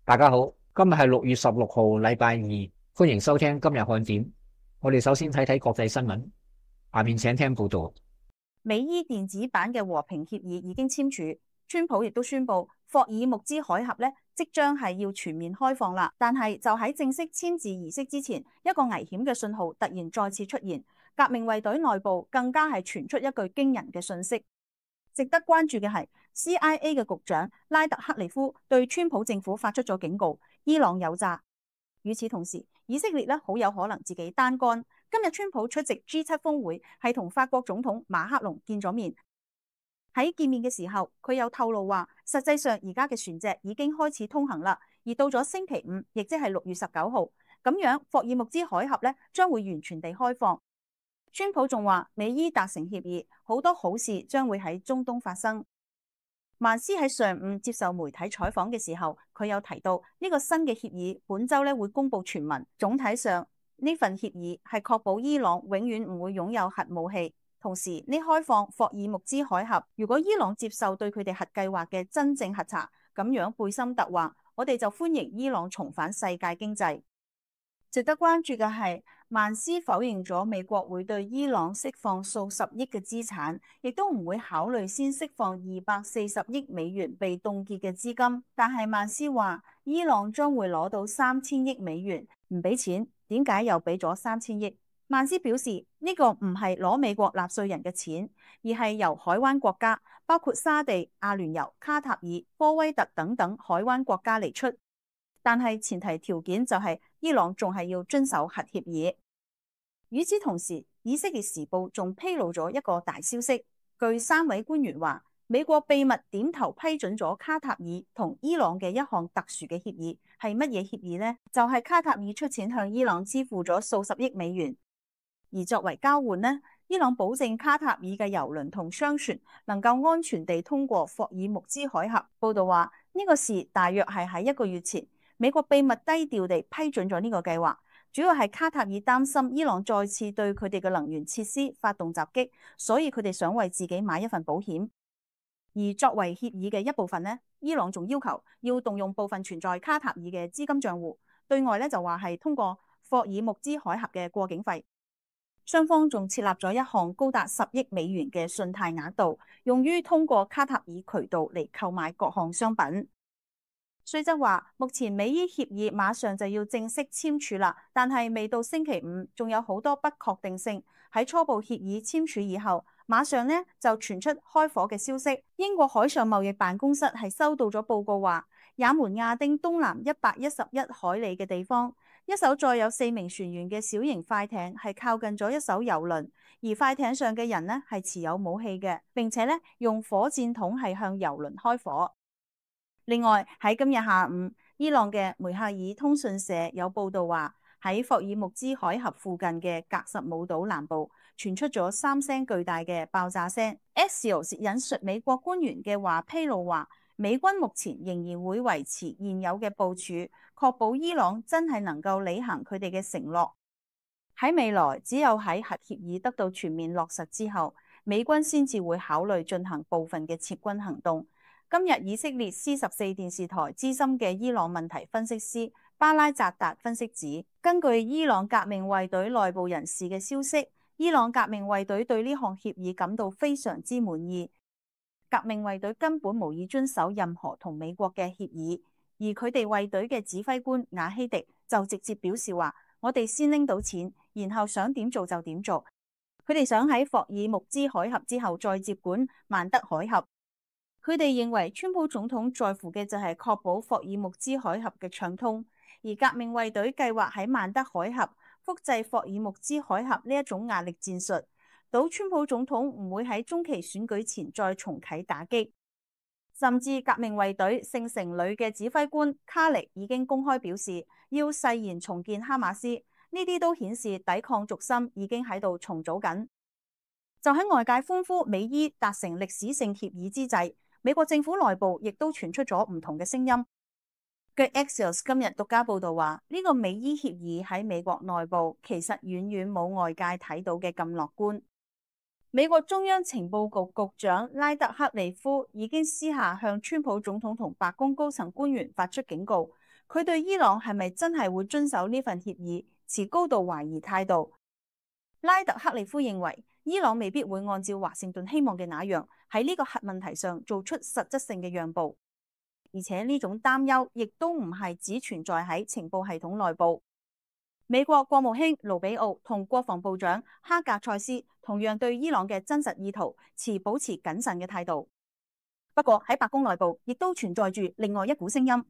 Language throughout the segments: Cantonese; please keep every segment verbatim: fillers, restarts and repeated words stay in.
大家好，今日係六月十六號，禮拜二，歡迎收聽今日看點。我哋首先睇睇國際新聞，下面請聽報道。美伊電子版嘅和平協議已經簽署，川普亦都宣布霍爾木茲海峽咧即將係要全面開放啦。但係就喺正式簽字儀式之前，一個危險嘅信號突然再次出現，革命衛隊內部更加係傳出一句驚人嘅訊息。值得關注嘅係 C I A 嘅局長拉特克利夫對川普政府發出咗警告，伊朗有詐。與此同時，以色列咧好有可能自己單幹。今日川普出席 G 七峰會，係同法國總統馬克龍見咗面。喺見面嘅時候，佢有透露話，實際上而家嘅船隻已經開始通行啦，而到咗星期五，亦即係六月十九號，咁樣霍爾木茲海峽咧將會完全地開放。川普仲話，美伊達成協議，好多好事將會喺中東發生。曼斯喺上午接受媒體採訪嘅時候，佢有提到呢個新嘅協議本周咧會公布全文。總體上呢份協議係確保伊朗永遠唔會擁有核武器，同時呢開放霍爾木茲海峽，如果伊朗接受對佢哋核計劃嘅真正核查，咁樣貝森特話，我哋就歡迎伊朗重返世界經濟。值得關注嘅係，曼斯否認咗美國會對伊朗釋放數十億嘅資產，亦都唔會考慮先釋放二百四十億美元被凍結嘅資金。但係曼斯話，伊朗將會攞到三千億美元，唔俾錢，點解又俾咗三千億？曼斯表示呢個唔係攞美國納稅人嘅錢，而係由海灣國家，包括沙地、阿聯酋、卡塔爾、科威特等等海灣國家嚟出。但係前提條件就係伊朗仲係要遵守核協議。與此同時，以色列時報仲披露咗一個大消息，據三位官員話，美國秘密點頭批准咗卡塔爾同伊朗嘅一項特殊嘅協議。係乜嘢協議呢？就係、是、卡塔爾出錢向伊朗支付咗數十億美元，而作為交換呢，伊朗保證卡塔爾嘅郵輪同商船能夠安全地通過霍爾木茲海峽。報道話呢、這個事大約係喺一個月前，美國秘密低調地批准咗呢個計劃，主要係卡塔爾擔心伊朗再次對佢哋嘅能源設施發動襲擊，所以佢哋想為自己買一份保險。而作為協議嘅一部分呢，伊朗仲要求要動用部分存在卡塔爾嘅資金賬戶，對外咧就話係通過霍爾木茲海峽嘅過境費。雙方仲設立咗一項高達十億美元嘅信貸額度，用於通過卡塔爾渠道嚟購買各項商品。雖則話，目前美伊協議馬上就要正式簽署啦，但係未到星期五，仲有好多不確定性。喺初步協議簽署以後，馬上呢就傳出開火嘅消息。英國海上貿易辦公室係收到咗報告話，也門亞丁東南一百一十一海里嘅地方，一艘載有四名船員嘅小型快艇係靠近咗一艘郵輪，而快艇上嘅人呢係持有武器嘅，並且呢用火箭筒係向郵輪開火。另外喺今日下午，伊朗嘅梅克爾通訊社有報道話，喺霍爾木茲海峽附近嘅格什姆島南部傳出咗三聲巨大嘅爆炸聲。Axios 引述美國官員嘅話披露話，美軍目前仍然會維持現有嘅部署，確保伊朗真係能夠履行佢哋嘅承諾。喺未來，只有喺核協議得到全面落實之後，美軍先至會考慮進行部分嘅撤軍行動。今日以色列 C 十四電視台資深嘅伊朗問題分析師巴拉扎達分析指，根據伊朗革命衛隊內部人士嘅消息，伊朗革命衛隊對呢項協議感到非常之滿意。革命衛隊根本無意遵守任何同美國嘅協議，而佢哋衛隊嘅指揮官瓦希迪就直接表示話，我哋先拎到錢，然後想點做就點做。佢哋想喺霍爾木茲海峽之後再接管曼德海峽。佢哋認為川普總統在乎嘅就係確保霍爾木茲海峽嘅暢通，而革命衛隊計劃喺曼德海峽複製霍爾木茲海峽呢一種壓力戰術，賭川普總統唔會喺中期選舉前再重啟打擊。甚至革命衛隊聖城旅嘅指揮官卡力已經公開表示要誓言重建哈馬斯，呢啲都顯示抵抗軸心已經喺度重組緊。就喺外界歡呼美伊達成歷史性協議之際，美國政府內部亦都傳出咗唔同嘅聲音。據 Axios 今日獨家報道話，呢個美伊協議喺美國內部其實遠遠冇外界睇到嘅咁樂觀。美國中央情報局局長拉特克利夫已經私下向川普總統同白宮高層官員發出警告，佢對伊朗係咪真係會遵守呢份協議持高度懷疑態度。拉特克利夫認為，伊朗未必會按照華盛頓希望嘅那樣喺呢個核問題上做出實質性嘅讓步，而且呢種擔憂亦都唔係只存在喺情報系統內部。美國國務卿盧比奧同國防部長哈格塞斯同樣對伊朗嘅真實意圖持保持謹慎嘅態度。不過喺白宮內部亦都存在住另外一股聲音，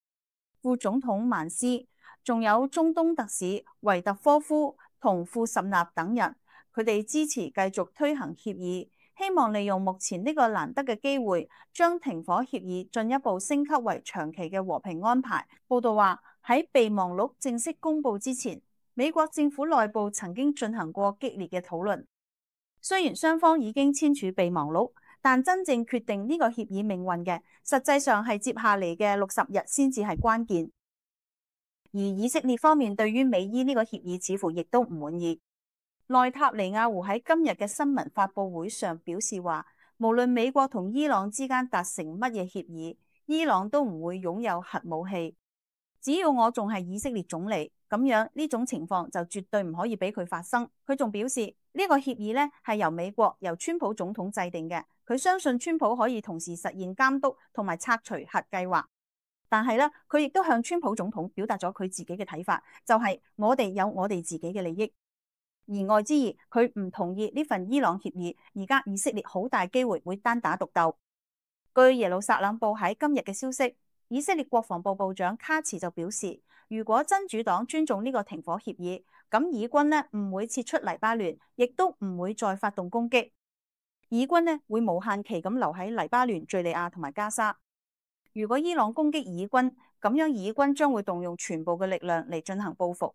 副總統曼斯，仲有中東特使維特科夫同庫什納等人，佢哋支持繼續推行協議，希望利用目前呢個難得嘅機會，將停火協議進一步升級為長期嘅和平安排。報道話喺備忘錄正式公佈之前，美國政府內部曾經進行過激烈嘅討論。雖然雙方已經簽署備忘錄，但真正決定呢個協議命運嘅，實際上係接下嚟嘅六十日先至係關鍵。而以色列方面對於美伊呢個協議似乎亦都唔滿意。內塔尼亞胡喺今日嘅新聞發佈會上表示話，無論美國同伊朗之間達成乜嘢協議，伊朗都唔會擁有核武器。只要我仲係以色列總理，咁樣呢種情況就絕對唔可以俾佢發生。佢仲表示呢個協議呢係由美國由川普總統制定嘅，佢相信川普可以同時實現監督同埋拆除核計劃。但係咧，佢亦都向川普總統表達咗佢自己嘅睇法，就係我哋有我哋自己嘅利益。言外之意，佢唔同意呢份伊朗協議。而家以色列好大機會會單打獨鬥。據耶路撒冷報喺今日嘅消息，以色列國防部部長卡茨就表示，如果真主黨尊重呢個停火協議，咁以軍呢唔會撤出黎巴嫩，亦都唔會再發動攻擊。以軍呢會無限期咁留喺黎巴嫩、敘利亞同埋加沙。如果伊朗攻擊以軍，咁樣以軍將會動用全部嘅力量嚟進行報復。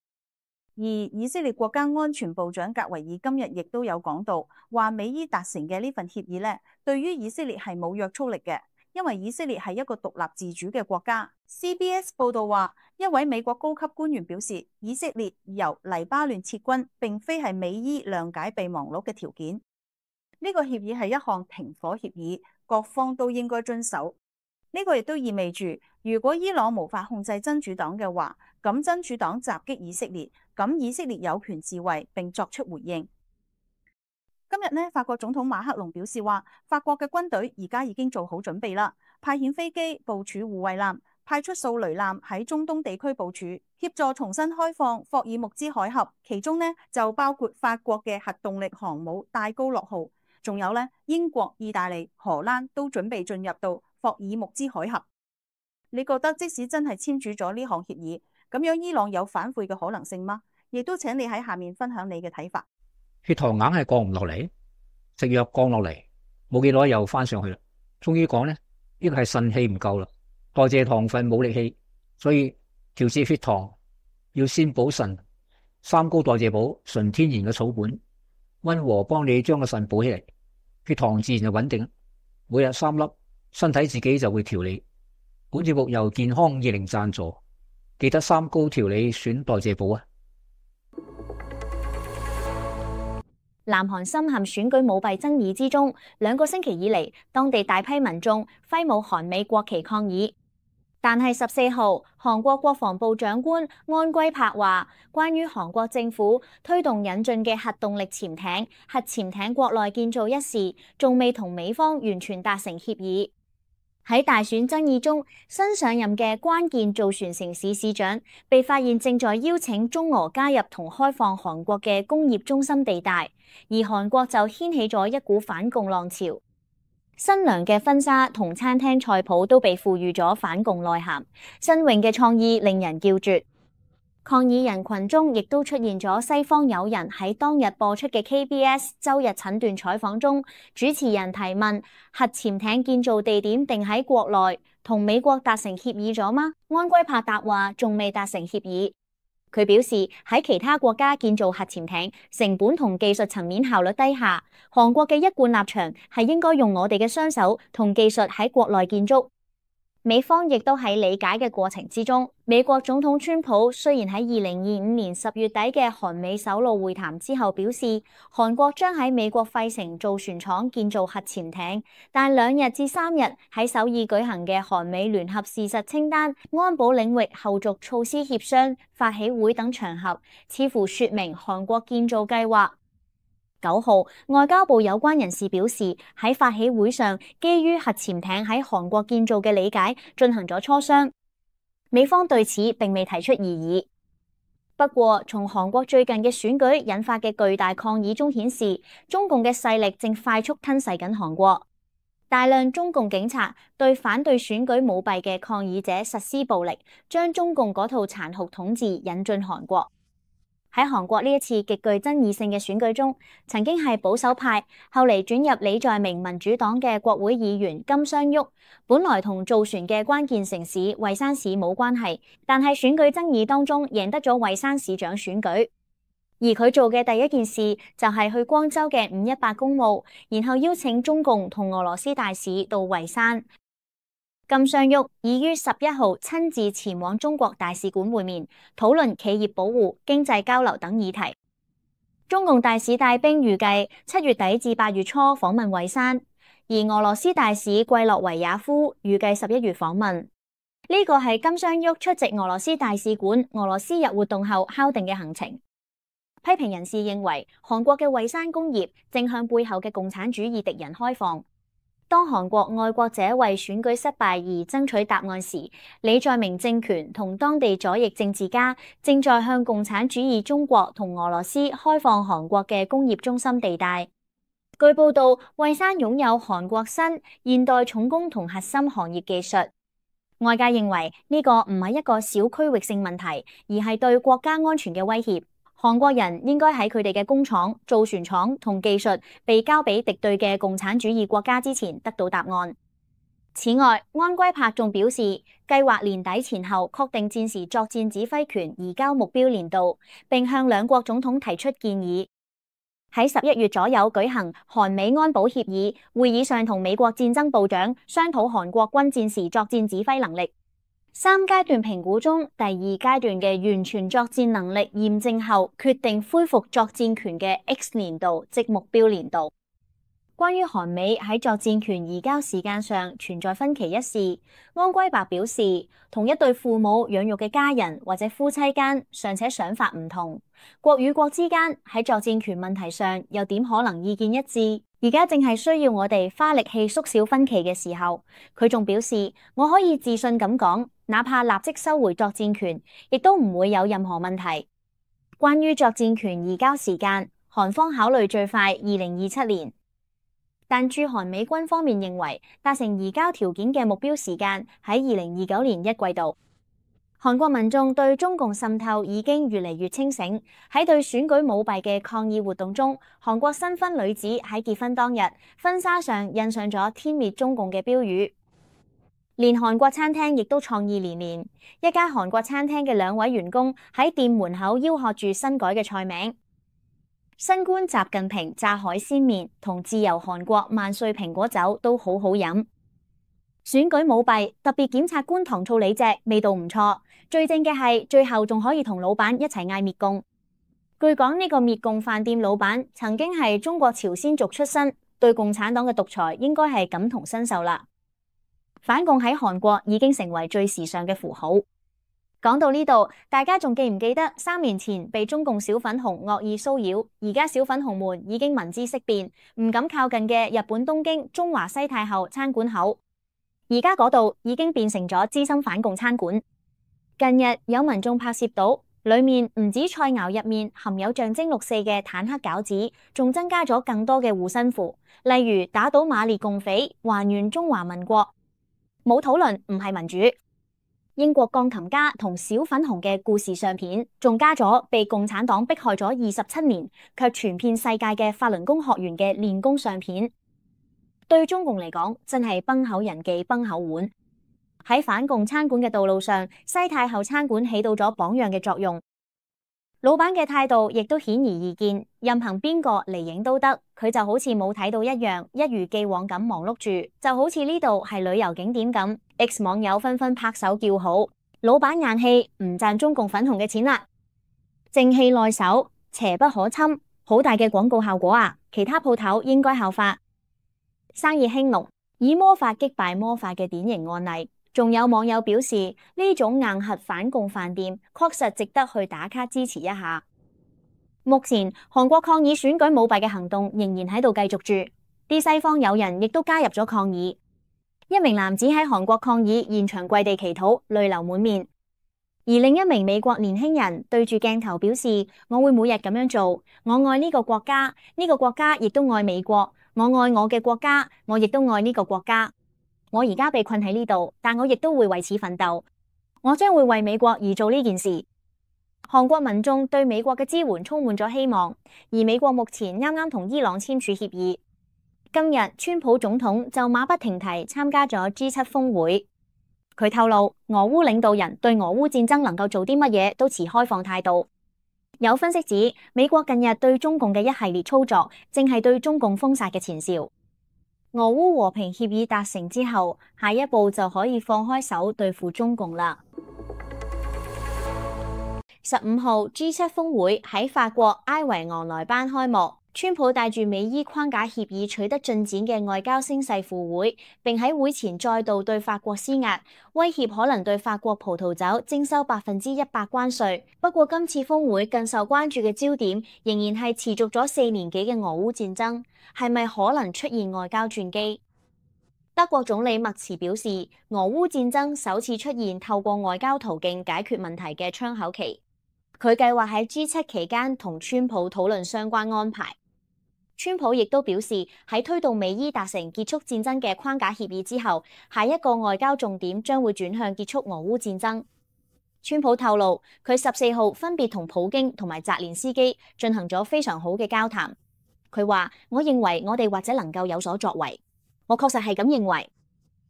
而以色列國家安全部長格維爾今日亦都有講到，話美伊達成嘅呢份協議呢，對於以色列係冇約束力嘅，因為以色列係一個獨立自主嘅國家。C B S 報道話，一位美國高級官員表示，以色列由黎巴嫩撤軍並非係美伊諒解備忘錄嘅條件。呢個協議係一項停火協議，各方都應該遵守。呢個亦都意味住，如果伊朗無法控制真主黨嘅話，咁真主黨襲擊以色列，咁以色列有權自衛並作出回應。今日呢，法國總統馬克龍表示話，法國嘅軍隊而家已經做好準備啦，派遣飛機部署護衛艦，派出掃雷艦喺中東地區部署，協助重新開放霍爾木茲海峽。其中呢，就包括法國嘅核動力航母戴高樂號，仲有呢，英國、意大利、荷蘭都準備進入到霍爾木茲海峽。你覺得即使真係簽署咗呢項協議，咁樣伊朗有反悔嘅可能性嗎？亦都請你喺下面分享你嘅睇法。血糖硬係降唔落嚟，食藥降落嚟，冇幾耐又翻上去啦。終於講呢，呢個係腎氣唔夠啦，代謝糖分冇力氣，所以調節血糖要先補腎。三高代謝補，純天然嘅草本，溫和幫你將個腎補起嚟，血糖自然就穩定。每日三粒，身體自己就會調理。本節目由健康二零贊助，記得三高調理選代謝補啊！南韓深陷選舉舞弊爭議之中，兩個星期以嚟，當地大批民眾揮舞韓美國旗抗議。但係十四號，韓國國防部長官安圭柏話，關於韓國政府推動引進嘅核動力潛艇、核潛艇國內建造一事，仲未同美方完全達成協議。喺大選爭議中，新上任嘅關鍵造船城市市長被發現正在邀請中俄加入同開放韓國嘅工業中心地帶，而韓國就掀起咗一股反共浪潮。新娘嘅婚紗同餐廳菜譜都被賦予咗反共內涵，新穎嘅創意令人叫絕。抗議人群中亦都出現咗西方友人。喺當日播出嘅 K B S 周日診斷採訪中，主持人提問：核潛艇建造地點定喺國內，同美國達成協議咗嗎？安圭柏答話仲未達成協議。佢表示喺其他國家建造核潛艇，成本同技術層面效率低下。韓國嘅一貫立場係應該用我哋嘅雙手同技術喺國內建築。美方亦都喺理解嘅過程之中。美國總統川普雖然喺二零二五年十月底嘅韓美首腦會談之後表示，韓國將喺美國費城造船廠建造核潛艇，但兩日至三日喺首爾舉行嘅韓美聯合事實清單、安保領域後續措施協商、發起會等場合，似乎說明韓國建造計劃。九號，外交部有關人士表示，喺發起會上，基於核潛艇喺韓國建造嘅理解進行咗磋商。美方對此並未提出異議。不過，從韓國最近嘅選舉引發嘅巨大抗議中顯示，中共嘅勢力正快速吞噬緊韓國。大量中共警察對反對選舉舞弊嘅抗議者實施暴力，將中共嗰套殘酷統治引進韓國。喺韓國呢一次極具爭議性嘅選舉中，曾經係保守派，後嚟轉入李在明民主黨嘅國會議員金相旭，本來同造船嘅關鍵城市蔚山市冇關係，但係選舉爭議當中贏得咗蔚山市長選舉。而佢做嘅第一件事就係去光州嘅五一八公墓，然後邀請中共同俄羅斯大使到蔚山。金相旭已於十一號親自前往中國大使館會面，討論企業保護、經濟交流等議題。中共大使帶兵預計七月底至八月初訪問蔚山，而俄羅斯大使季洛維亞夫預計十一月訪問。呢個係金相旭出席俄羅斯大使館俄羅斯日活動後敲定嘅行程。批評人士認為，韓國嘅蔚山工業正向背後嘅共產主義敵人開放。當韓國愛國者為選舉失敗而爭取答案時，李在明政權同當地左翼政治家正在向共產主義中國同俄羅斯開放韓國嘅工業中心地帶。據報道，蔚山擁有韓國新現代重工同核心行業技術。外界認為呢個唔係一個小區域性問題，而係對國家安全嘅威脅。韓國人應該喺佢哋嘅工廠、造船廠同技術被交俾敵對嘅共產主義國家之前得到答案。此外，安圭柏仲表示，計劃年底前後確定戰時作戰指揮權移交目標年度，並向兩國總統提出建議。喺十一月左右舉行韓美安保協議會議上，同美國戰爭部長商討韓國軍戰時作戰指揮能力。三階段評估中，第二階段嘅完全作戰能力驗證後，決定恢復作戰權嘅 X 年度，即目標年度。關於韓美喺作戰權移交時間上存在分歧一事，安圭柏表示，同一對父母養育嘅家人或者夫妻間尚且想法唔同，國與國之間喺作戰權問題上又點可能意見一致？而家正係需要我哋花力氣縮小分歧嘅時候。佢仲表示，我可以自信咁講，哪怕立即收回作戰權，亦都唔會有任何問題。關於作戰權移交時間，韓方考慮最快二零二七年，但駐韓美軍方面認為達成移交條件嘅目標時間喺二零二九年一季度。韓國民眾對中共滲透已經越嚟越清醒。喺對選舉舞弊嘅抗議活動中，韓國新婚女子喺結婚當日婚紗上印上咗天滅中共嘅標語。連韓國餐廳亦都創意連連，一家韓國餐廳嘅兩位員工喺店門口吆喝住新改嘅菜名：新官習近平炸海鮮麵同自由韓國萬歲蘋果酒都好好飲。選舉舞弊，特別檢察官糖醋里脊味道唔錯，最正嘅係最後仲可以同老闆一齊嗌滅共。據講呢個滅共飯店老闆曾經係中國朝鮮族出身，對共產黨嘅獨裁應該係感同身受啦。反共喺韓國已經成為最時尚嘅符號。講到呢度，大家仲記唔記得三年前被中共小粉紅惡意騷擾，而家小粉紅們已經聞之色變，唔敢靠近嘅日本東京中華西太后餐館口，而家嗰度已經變成咗資深反共餐館。近日有民眾拍攝到，裏面唔止菜肴入面含有象徵六四嘅坦克餃子，仲增加咗更多嘅護身符，例如打倒馬列共匪，還原中華民國。冇討論唔係民主。英國鋼琴家同小粉紅嘅故事相片，仲加咗被共產黨迫害咗二十七年，卻傳遍世界嘅法輪功學員嘅練功相片。對中共嚟講，真係崩口人忌崩口碗。喺反共餐館嘅道路上，西太后餐館起到咗榜樣嘅作用。老闆嘅態度亦都顯而易見，任憑邊個嚟影都得，佢就好似冇睇到一樣，一如既往咁忙碌住，就好似呢度係旅遊景點咁。X 網友紛紛拍手叫好，老闆硬氣，唔賺中共粉紅嘅錢啦，正氣內守，邪不可侵，好大嘅廣告效果啊！其他鋪頭應該效法，生意興隆，以魔法擊敗魔法嘅典型案例。仲有網友表示，呢種硬核反共飯店確實值得去打卡支持一下。目前韓國抗議選舉舞弊嘅行動仍然喺度繼續住，啲西方友人亦都加入咗抗議。一名男子喺韓國抗議現場跪地祈禱，淚流滿面；而另一名美國年輕人對住鏡頭表示：我會每日咁樣做，我愛呢個國家，呢個國家亦都愛美國，我愛我嘅國家，我亦都愛呢個國家。我而家被困喺呢度，但我亦都會為此奮鬥。我將會為美國而做呢件事。韓國民眾對美國嘅支援充滿咗希望，而美國目前啱啱同伊朗簽署協議。今日川普總統就馬不停蹄參加咗 G 七峰會。佢透露，俄烏領導人對俄烏戰爭能夠做啲乜嘢都持開放態度。有分析指，美國近日對中共嘅一系列操作，正係對中共封殺嘅前兆。俄烏和平協議達成之後，下一步就可以放開手對付中共啦。十五號 G 七峰會喺法國埃維昂萊班開幕，川普帶住美伊框架協議取得進展嘅外交聲勢赴會，並喺會前再度對法國施壓，威脅可能對法國葡萄酒徵收百分之一百關稅。不過今次峰會更受關注嘅焦點，仍然係持續咗四年幾嘅俄烏戰爭。係咪可能出現外交轉機？德國總理默茨表示，俄烏戰爭首次出現透過外交途徑解決問題嘅窗口期。佢計劃喺 G 七期間同川普討論相關安排。川普亦都表示，喺推動美伊達成結束戰爭嘅框架協議之後，下一個外交重點將會轉向結束俄烏戰爭。川普透露，佢十四號分別同普京同埋澤連斯基進行咗非常好嘅交談。佢話：我認為我哋或者能夠有所作為，我確實係咁認為。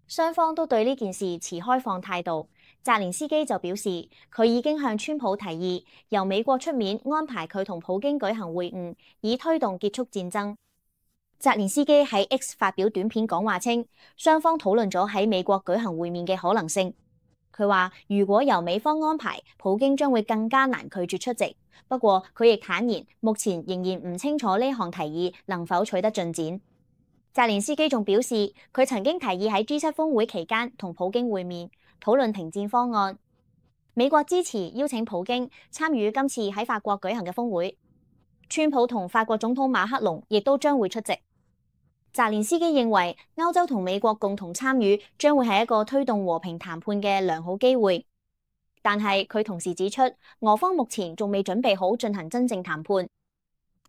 雙方都對呢件事持開放態度。澤連斯基就表示，佢已經向川普提議由美國出面安排佢同普京舉行會晤，以推動結束戰爭。澤連斯基喺 X 發表短片講話稱，雙方討論咗喺美國舉行會面嘅可能性。佢話：如果由美方安排，普京將會更加難拒絕出席。不過佢亦坦言，目前仍然唔清楚呢項提議能否取得進展。澤連斯基仲表示，佢曾經提議喺 G 七峰會期間同普京會面，討論停戰方案。美國支持邀請普京參與今次喺法國舉行嘅峰會。川普同法國總統馬克龍亦都將會出席。澤連斯基認為，歐洲同美國共同參與將會係一個推動和平談判嘅良好機會。但係佢同時指出，俄方目前仲未準備好進行真正談判。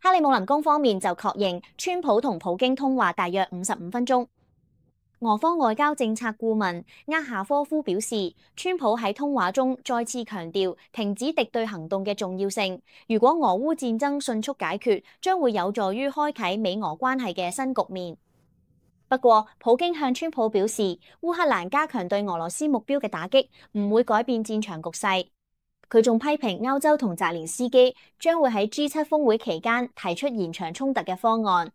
克里姆林宮方面就確認，川普同普京通話大約五十五分鐘。俄方外交政策顧問厄夏科夫表示，川普喺通話中再次強調停止敵對行動嘅重要性。如果俄烏戰爭迅速解決，將會有助於開啟美俄關係嘅新局面。不過，普京向川普表示，烏克蘭加強對俄羅斯目標嘅打擊唔會改變戰場局勢。佢仲批評歐洲同澤連斯基將會喺 G 七峰會期間提出延長衝突嘅方案。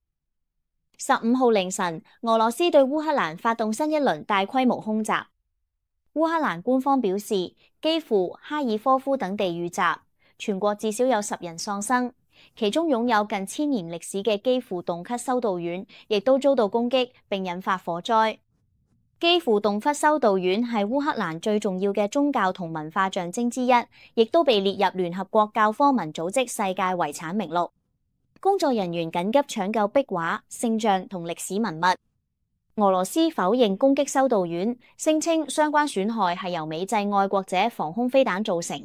十五號凌晨，俄羅斯對烏克蘭發動新一輪大規模空襲。烏克蘭官方表示，基輔、哈爾科夫等地遇襲，全國至少有十人喪生。其中擁有近千年歷史嘅基輔洞窟修道院，亦都遭到攻擊並引發火災。基輔洞窟修道院係烏克蘭最重要嘅宗教同文化象徵之一，亦都被列入聯合國教科文組織世界遺產名錄。工作人員緊急搶救壁畫、聖像同歷史文物。俄羅斯否認攻擊修道院，聲稱相關損害係由美製愛國者防空飛彈造成。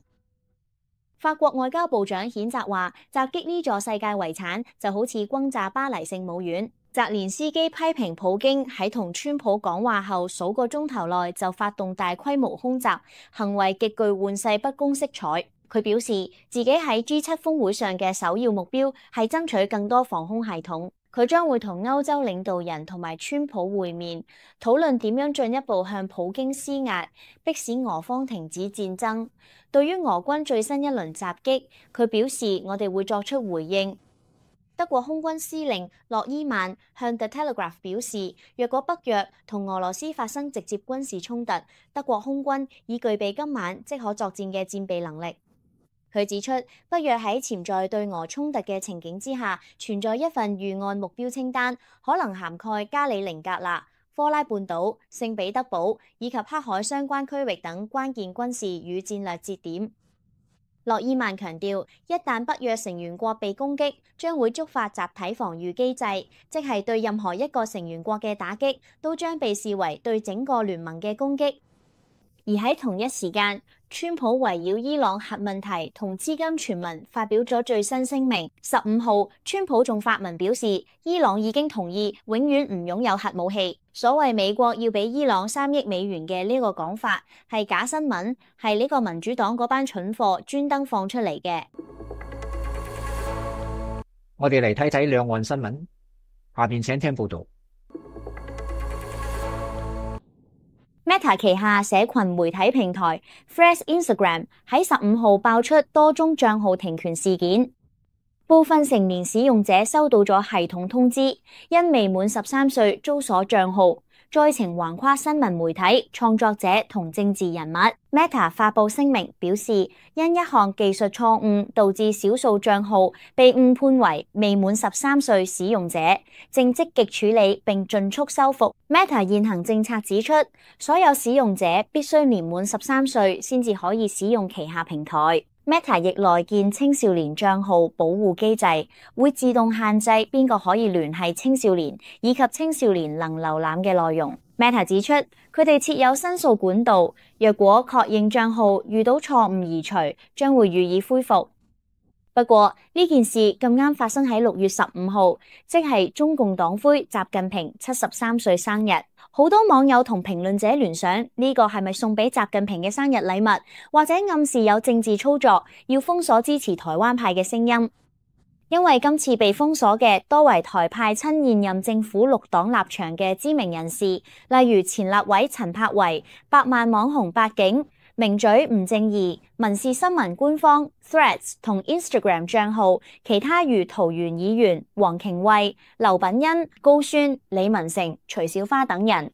法國外交部長譴責話，襲擊呢座世界遺產就好似轟炸巴黎聖母院。澤連斯基批評普京喺同川普講話後數個鐘頭內就發動大規模空襲，行為極具玩世不恭色彩。佢表示自己喺 G 七峰會上嘅首要目標係爭取更多防空系統。佢將會同歐洲領導人同埋川普會面，討論點樣進一步向普京施壓，迫使俄方停止戰爭。對於俄軍最新一輪襲擊，佢表示我哋會作出回應。德國空軍司令諾伊曼向 The Telegraph 表示，若果北約同俄羅斯發生直接軍事衝突，德國空軍已具備今晚即可作戰嘅戰備能力。佢指出，北約喺潛在對俄衝突嘅情景之下，存在一份預案目標清單，可能涵蓋加里寧格勒、科拉半島、聖彼得堡以及黑海相關區域等關鍵軍事與戰略節點。諾伊曼強調，一旦北約成員國被攻擊，將會觸發集體防禦機制，即係對任何一個成員國嘅打擊，都將被視為對整個聯盟嘅攻擊。而喺同一時間，川普圍繞伊朗核問題同資金傳聞發表咗最新聲明。十五號，川普仲發文表示，伊朗已經同意永遠唔擁有核武器。所謂美國要俾伊朗三億美元嘅呢個講法係假新聞，係呢個民主黨嗰班蠢貨專登放出嚟嘅。我哋嚟睇睇兩岸新聞，下邊請聽報道。Meta 旗下社群媒體平台 Threads Instagram 喺十五號爆出多宗賬號停權事件，部分成年使用者收到咗系統通知，因未滿十三歲遭鎖賬號。災情橫跨新聞媒體、創作者同政治人物。Meta 發布聲明表示，因一項技術錯誤導致少數賬號被誤判為未滿十三歲使用者，正積極處理並盡速修復。Meta 現行政策指出，所有使用者必須年滿十三歲先至可以使用旗下平台。Meta 亦內建青少年賬號保護機制，會自動限制邊個可以聯繫青少年，以及青少年能瀏覽嘅內容。Meta 指出，佢哋設有申訴管道，若果確認賬號遇到錯誤移除，將會予以恢復。不過呢件事咁啱發生喺六月十五號，即係中共黨魁習近平七十三歲生日。好多網友同評論者聯想，呢個係咪送俾習近平嘅生日禮物，或者暗示有政治操作，要封鎖支持台灣派嘅聲音？因為今次被封鎖嘅多為台派親現任政府綠黨立場嘅知名人士，例如前立委陳柏惟、百萬網紅八景、名嘴吳正義、民視新聞官方 Threads 同 Instagram 賬號，其他如桃園議員、黃瓊慧、劉品欣、高宣、李文成、徐小花等人。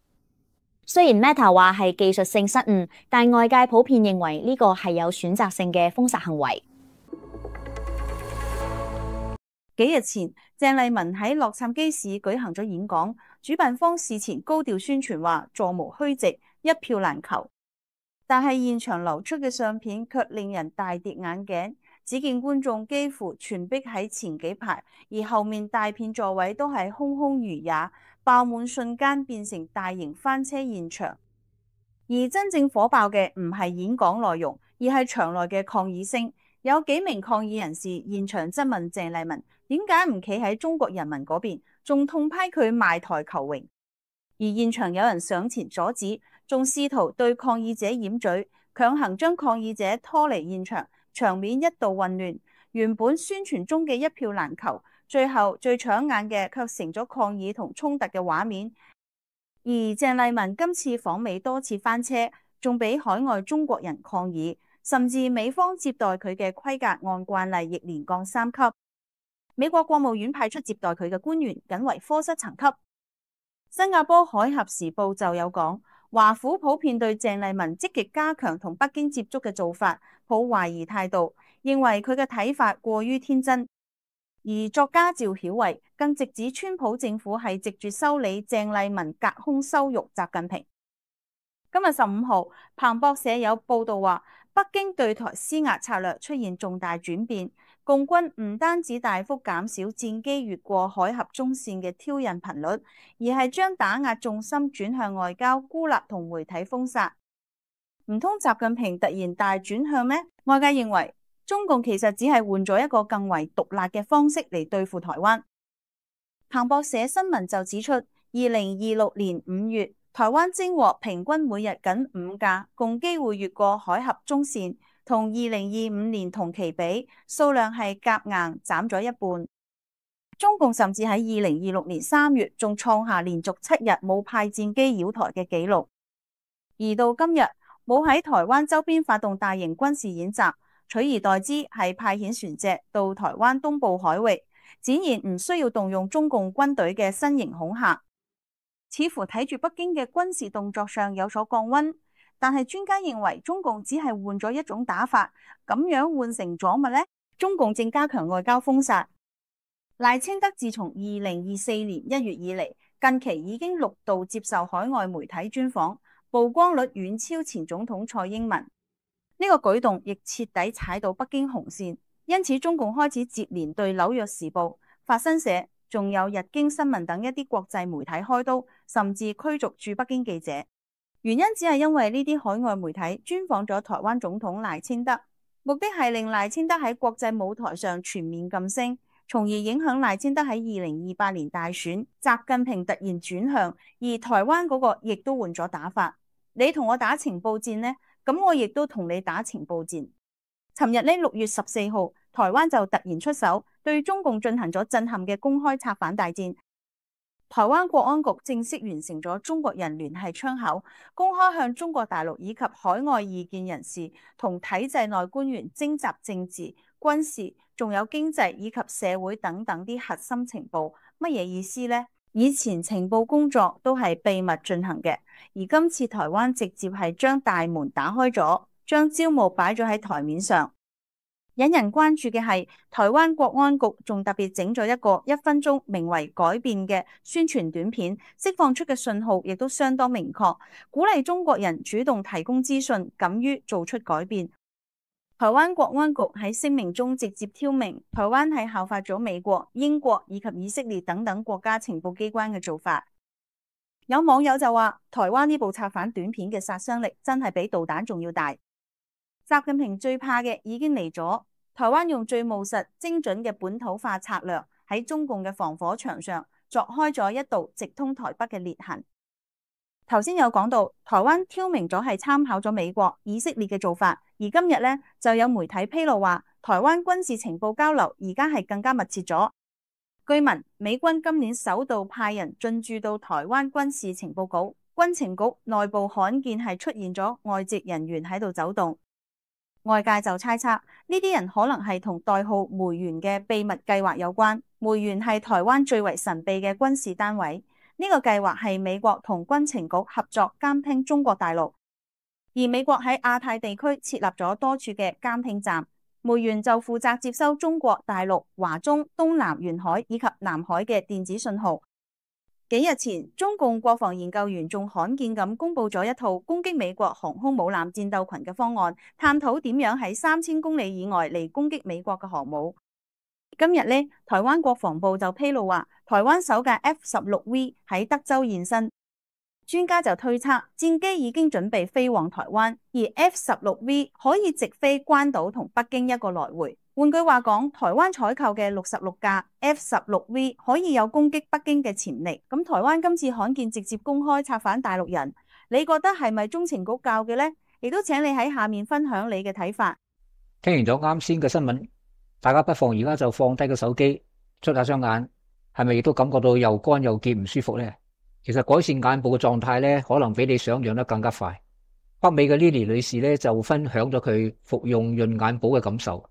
雖然 Meta 話係技術性失誤，但外界普遍認為呢個係有選擇性嘅封殺行為。幾日前，鄭麗文喺洛杉磯市舉行咗演講，主辦方事前高調宣傳話座無虛席，一票難求。但係現場流出嘅相片卻令人大跌眼鏡，只見觀眾幾乎全逼喺前幾排，而後面大片座位都係空空如也，爆滿瞬間變成大型翻車現場。而真正火爆嘅唔係演講內容，而係場內嘅抗議聲。有幾名抗議人士現場質問鄭麗文點解唔企喺中國人民嗰邊，仲痛批佢賣台求榮。而現場有人上前阻止，仲試圖對抗議者掩嘴，強行將抗議者拖離現場，場面一度混亂。原本宣傳中嘅一票難求，最後最搶眼嘅卻成咗抗議同衝突嘅畫面。而鄭麗文今次訪美多次翻車，仲俾海外中國人抗議，甚至美方接待佢嘅規格按慣例亦連降三級。美國國務院派出接待佢嘅官員僅為科室層級。新加坡海峽時報就有講，華府普遍對鄭麗文積極加強同北京接觸嘅做法抱懷疑態度，認為佢嘅睇法過於天真。而作家趙曉慧更直指川普政府係藉住修理鄭麗文隔空羞辱習近平。今日十五號，彭博社有報道話，北京對台施壓策略出現重大轉變，共軍唔單止大幅減少戰機越過海峽中線嘅挑釁頻率，而係將打壓重心轉向外交孤立同媒體封殺。唔通習近平突然大轉向咩？外界認為中共其實只係換咗一個更為毒辣嘅方式嚟對付台灣。彭博社新聞就指出，二零二六年五月，台灣偵獲平均每日僅五架共機會越過海峽中線，同二零二五年同期比，數量係夾硬斬咗一半。中共甚至喺二零二六年三月仲創下連續七日冇派戰機擾台嘅紀錄，而到今日冇喺台灣周邊發動大型軍事演習，取而代之係派遣船隻到台灣東部海域，展現唔需要動用中共軍隊嘅新型恐嚇，似乎睇住北京嘅軍事動作上有所降溫。但係專家認為中共只係換咗一種打法，咁樣換成咗乜呢？中共正加強外交封殺。賴清德自從二零二四年一月以嚟，近期已經六度接受海外媒體專訪，曝光率遠超前總統蔡英文。呢個舉動亦徹底踩到北京紅線，因此中共開始接連對紐約時報、法新社仲有日經新聞等一啲國際媒體開刀，甚至驅逐駐北京記者。原因只係因為呢啲海外媒體專訪咗台灣總統賴清德，目的係令賴清德喺國際舞台上全面噤聲，從而影響賴清德喺二零二八年大選，習近平突然轉向，而台灣嗰個亦都換咗打法。你同我打情報戰呢，咁我亦都同你打情報戰。尋日呢六月十四號，台灣就突然出手，對中共進行咗震撼嘅公開策反大戰。台灣國安局正式完成咗中國人聯繫窗口，公開向中國大陸以及海外異見人士同體制內官員徵集政治、軍事，仲有經濟以及社會等等啲核心情報。乜嘢意思呢？以前情報工作都係秘密進行嘅，而今次台灣直接係將大門打開咗，將招募擺咗喺台面上。引人關注嘅係，台灣國安局仲特別整咗一個一分鐘名為改變嘅宣傳短片，釋放出嘅信號亦都相當明確，鼓勵中國人主動提供資訊，敢於做出改變。台灣國安局喺聲明中直接挑明，台灣係效法咗美國、英國以及以色列等等國家情報機關嘅做法。有網友就話，台灣呢部策反短片嘅殺傷力真係比導彈仲要大。習近平最怕嘅已經嚟咗，台灣用最務實、精準嘅本土化策略喺中共嘅防火牆上鑿開咗一道直通台北嘅裂痕。頭先有講到，台灣挑明咗係參考咗美國、以色列嘅做法，而今日呢，就有媒體披露話，台灣軍事情報交流而家係更加密切咗。據聞，美軍今年首度派人進駐到台灣軍事情報局，軍情局內部罕見係出現咗外籍人員喺度走動。外界就猜測呢啲人可能係同代號梅園嘅秘密計劃有關。梅園係台灣最為神秘嘅軍事單位，呢個計劃係美國同軍情局合作監聽中國大陸，而美國喺亞太地區設立咗多處嘅監聽站，梅園就負責接收中國大陸華中、東南沿海以及南海嘅電子信號。幾日前，中共國防研究院仲罕見咁公布咗一套攻擊美國航空母艦戰鬥群嘅方案，探討點樣喺三千公里以外嚟攻擊美國嘅航母。今日呢，台灣國防部就披露話，台灣首架 F 十六 V 喺德州現身，專家就推測戰機已經準備飛往台灣，而 F 十六 V 可以直飛關島同北京一個來回。換句話講，台灣採購嘅六十六架 F 十六 V 可以有攻擊北京嘅潛力。咁台灣今次罕見直接公開策反大陸人，你覺得係咪中情局教嘅呢？亦都請你喺下面分享你嘅睇法。聽完咗啱先嘅新聞，大家不妨而家就放低個手機，捽下雙眼，係咪亦都感覺到又乾又澀唔舒服呢？其實改善眼部嘅狀態呢，可能比你想象得更加快。北美嘅 Lily 女士呢，就分享咗佢服用潤眼寶嘅感受。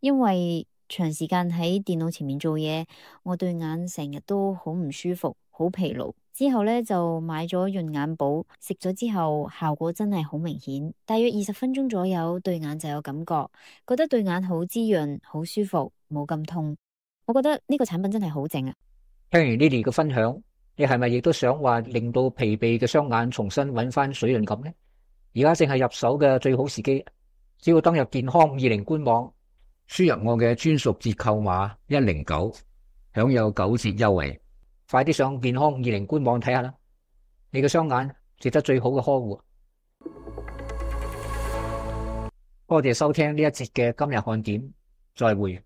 因為長時間喺電腦前面做嘢，我對眼成日都好唔舒服，好疲勞。之後呢，就買咗潤眼寶，食咗之後效果真係好明顯，大約二十分鐘左右對眼就有感覺，覺得對眼好滋潤，好舒服，冇咁痛。我覺得呢個產品真係好正啊！聽完 Lily 嘅分享，你係咪亦都想話令到疲憊嘅雙眼重新揾翻水潤感呢？而家正係入手嘅最好時機，只要登入健康五二零官網，輸入我嘅專屬折扣碼一零九，享有九折優惠。快啲上健康五二零官網睇下啦！你嘅雙眼值得最好嘅呵護。多謝收聽呢一節嘅今日看點，再會。